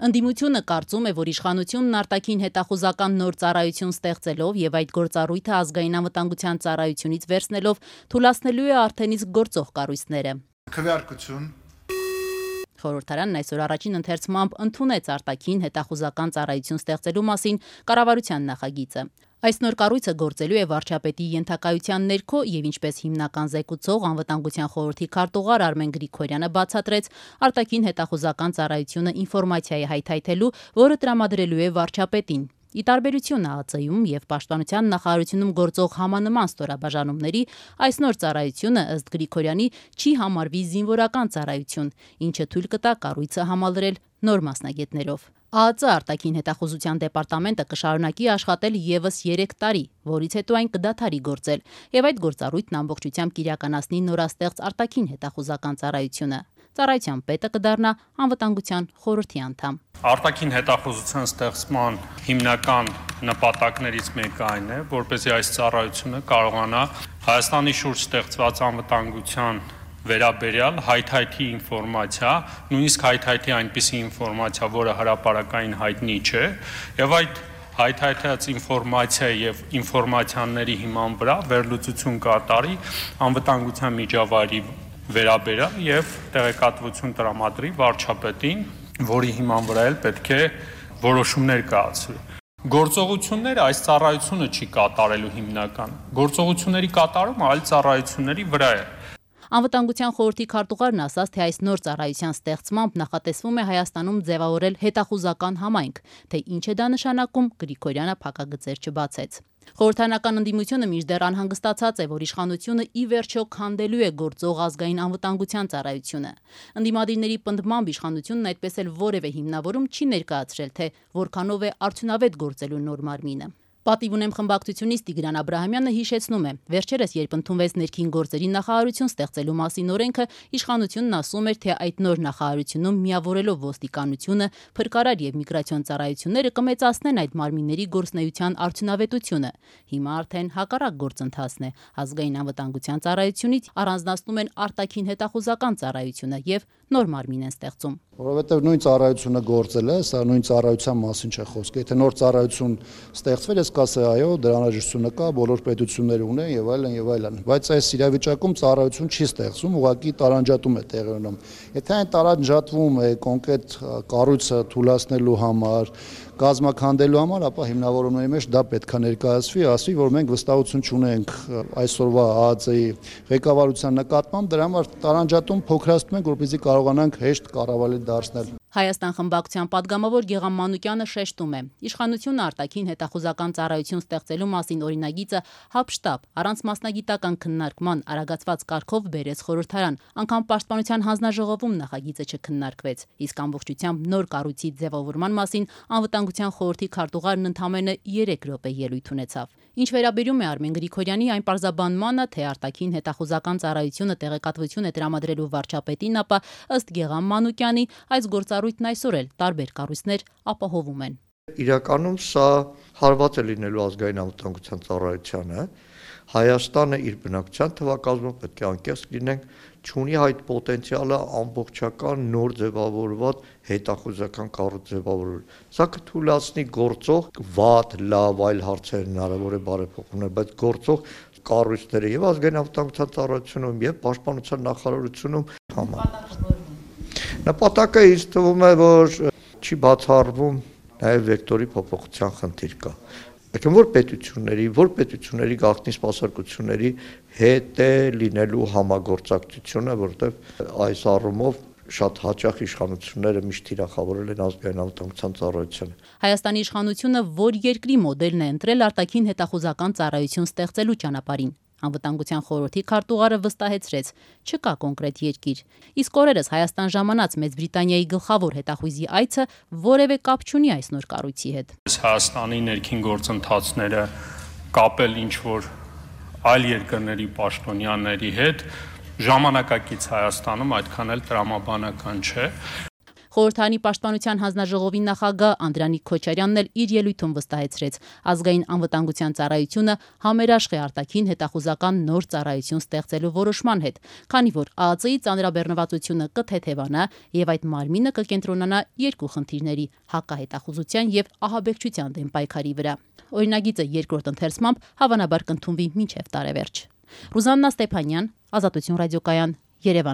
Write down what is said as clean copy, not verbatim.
Ընդդիմությունը կարծում է, որ իշխանությունն արտաքին հետախուզական նոր ծառայություն ստեղծելով եւ այդ գործառույթը ազգային անվտանգության ծառայությունից վերցնելով թույլատնելու է արդեն իսկ գործող կառույցները։ Քվեարկություն Խորհրդարանն այսօր առաջին ընթերցմամբ ընդունեց արտաքին հետախուզական ծառայություն ստեղծելու մասին կառավարության նախագիծը։ Այս նոր կառույցը գործելու է վարչապետի ենթակայության ներքո եւ ինչպես հիմնական զեկուցող անվտանգության խորհրդի քարտուղար Արմեն Գրիգորյանը բացատրեց, արտաքին հետախուզական ծառայությունը ինֆորմացիա է հայթայթելու, որը տրամադրելու է վարչապետին։ Ի տարբերություն ԱԱԾ-ում եւ Պաշտպանության նախարարությունում գործող համանման ստորաբաժանումների, այս նոր ծառայությունը ըստ Գրիգորյանի չի համարվի զինվորական ծառայություն, ինչը թույլ կտա կառույցը համալրել նոր մասնագետներով։ ԱԱԾ արտաքին հետախուզության դեպարտամենտը կշարունակի աշխատել եւս 3 տարի, որից հետո այն կդադարի գործել, եւ այդ գործառույթն ամբողջությամբ կիրականացնի նորաստեղծ արտաքին հետախուզական ծառայությունը։ Ծառայության պետը կդառնա անվտանգության խորհրդի անդամ։ Արտաքին հետախուզության ստեղծման հիմնական նպատակներից մեկը այն է, որպեսզի այս ծառայությունը կարողանա Հայաստանի շուրջ ստեղծված անվտանգության վերաբերյալ հայթայթի ինֆորմացիա, նույնիսկ հայթայթի այնպիսի ինֆորմացիա, որը հրապարակային հայտնի չէ, եւ այդ հայթայթած ինֆորմացիա եւ ինֆորմացիաների հիման վրա վերլուծություն կատարի անվտանգության միջավայրի վերաբերյալ եւ տեղեկատվություն տրամադրի վարչապետին, որի հիման վրա էլ պետք է որոշումներ կայացվի։ Գործողությունները այս ծառայությունը չի կատարելու հիմնական։ Գործողությունների կատարումը այլ ծառայությունների վրա է։ Անվտանգության խորհրդի քարտուղարն ասաց, թե այս նոր ծառայության ստեղծմամբ նախատեսվում է Հայաստանում ձևավորել հետախուզական համայնք, թե ինչ է դա նշանակում, Գրիգորյանը փակագծեր չբացեց։ Խորհրդարանական ընդդիմությունը մինչդեռ անհանգստացած է, որ իշխանությունը ի վերջո քանդելու է գործող ազգային անվտանգության ծառայությունը։ Ընդդիմադիրների պնդմամբ իշխանությունն այդպես էլ որևէ հիմնավորում չի ներկայացրել, թե որքանով է արդյունավետ գործելու նոր մարմինը։ Պատիվ ունեմ խմբակցությունից Տիգրան Աբրահամյանը հիշեցնում է, վերջերս երբ ընդունվեց ներքին գործերի նախարարություն ստեղծելու մասին օրենքը, իշխանությունն ասում էր, թե այդ նոր նախարարությունում միավորելով ոստիկանությունը, փրկարար եւ միգրացիոն ծառայությունները կմեծացնեն այդ մարմինների գործունեության արդյունավետությունը։ Հիմա արդեն հակառակ գործընթացն է։ Ազգային անվտանգության ծառայությունից առանձնացնում են արտաքին հետախուզական ծառայությունը եւ նոր մարմին են ստեղծում։ Որովհետև նույն ծառայությունը գործել է, սա նույն ծառայության մասին չէ խոսքը։ Եթե նոր ծառայություն ստեղծվել է, կասե այո, դրա անհրաժեշտությունը կա, բոլոր պետությունները ունեն եւ այլն եւ այլն։ Բայց այս իրավիճակում ծառայություն չի ստեղծում, ուղղակի տարանջատում է տեղի ունենում։ Եթե այն տարանջատվում է կոնկրետ կառույցը թույլատնելու համար, կազմաքանդելու համար, ապա հիմնավորումների մեջ դա պետք է ներկայացվի, ասվի, որ մենք վստահություն չունենք այսօրվա ԱԱԾ-ի ղեկավարության նկատմամբ, դրա համար տարանջատում փոքրացնում ենք, որպեսզի կարողանանք հեշտ կառավարել դարձնել։ Հայաստան խմբակցության падգամավոր Գեգամ Մանուկյանը շեշտում է. իշխանությունը արտաքին հետախուզական ծառայություն ստեղծելու մասին օրինագիծը հապշտապ, առանց մասնագիտական քննարկման արագացված կարգով բերեց խորհրդարան, անգամ Պաշտպանության հանձնաժողովում նախագիծը չքննարկվեց, իսկ ամբողջությամբ նոր կառույցի ձևավորման մասին անվտանգության խորհրդի քարտուղարն ընդամենը 3 րոպե ելույթ ունեցավ։ Ինչ վերաբերում է Արմեն Գրիգորյանի այն պարզաբանմանը, թե արտաքին հետախուզական ծառայությունը տեղեկատվություն է տրամադրելու վարչապետին, ապա ըստ Գեգամ Մանուկյանի այս գործառույթն այսօր էլ տարբեր կառույցներ ապահովում են։ Իրականում սա հարված է լինելու ազգային անվտանգության ծառայությանը։ Հայաստանը իր բնակչության թվակազմով պետք է անկեղծ լինենք, չունի այդ պոտենցիալը ամբողջական նոր ձևավորված հետախուզական կառույց ձևավորել։ Սա կթույլատնի գործող վատ, լավ, այլ հարցեր հնարավոր է բարեփոխումներ, բայց գործող կառույցները եւ ազգային անվտանգության ծառայությունում եւ պաշտպանության նախարարությունում նպատակը ինձ թվում է, որ չի բացառվում նաեւ վեկտորի փոփոխության խնդիր կա։ Որ պետությունների գաղտնի սպասարկությունների հետ է լինելու համագործակցությունը, որտեղ այս առումով շատ հաճախ իշխանությունները միշտ թիրախավորել են ազգային անվտանգության ծառայությանը։ Հայաստանի իշխանությունը որ երկրի մոդելն է ընտրել արտաքին հետախուզական ծառայություն ստեղծելու ճանապարհին։ Անվտանգության խորհրդի քարտուղարը վստահեցրեց, չկա կոնկրետ երկիր։ Իսկ օրերս Հայաստան ժամանած Մեծ Բրիտանիայի գլխավոր հետախույզի այցը որևէ կապ չունի այս նոր կառույցի հետ։ Հայաստանի ներքին գործընթացները կապել ինչ-որ այլ երկրների պաշտոնյաների հետ ժամանակակից Հայաստանում այդքան էլ տրամաբանական չէ։ Խորհրդարանի պաշտպանության հանձնաժողովի նախագահ Անդրանիկ Քոչարյանն էլ իր ելույթում վստահեցրեց, ազգային անվտանգության ծառայությունը համերաշխ է արտաքին հետախուզական նոր ծառայություն ստեղծելու որոշման հետ, քանի որ ԱԱԾ-ի ծանրաբեռնվածությունը կթեթևանա եւ այդ մարմինը կկենտրոնանա երկու խնդիրների՝ հակահետախուզության եւ ահաբեկչության դեմ պայքարի վրա։ Օրինագիծը երկրորդ ընթերցմամբ հավանաբար կընդունվի մինչև տարեվերջ։ Ռուզաննա Ստեփանյան, Ազատություն ռադիոկայան, Երևան։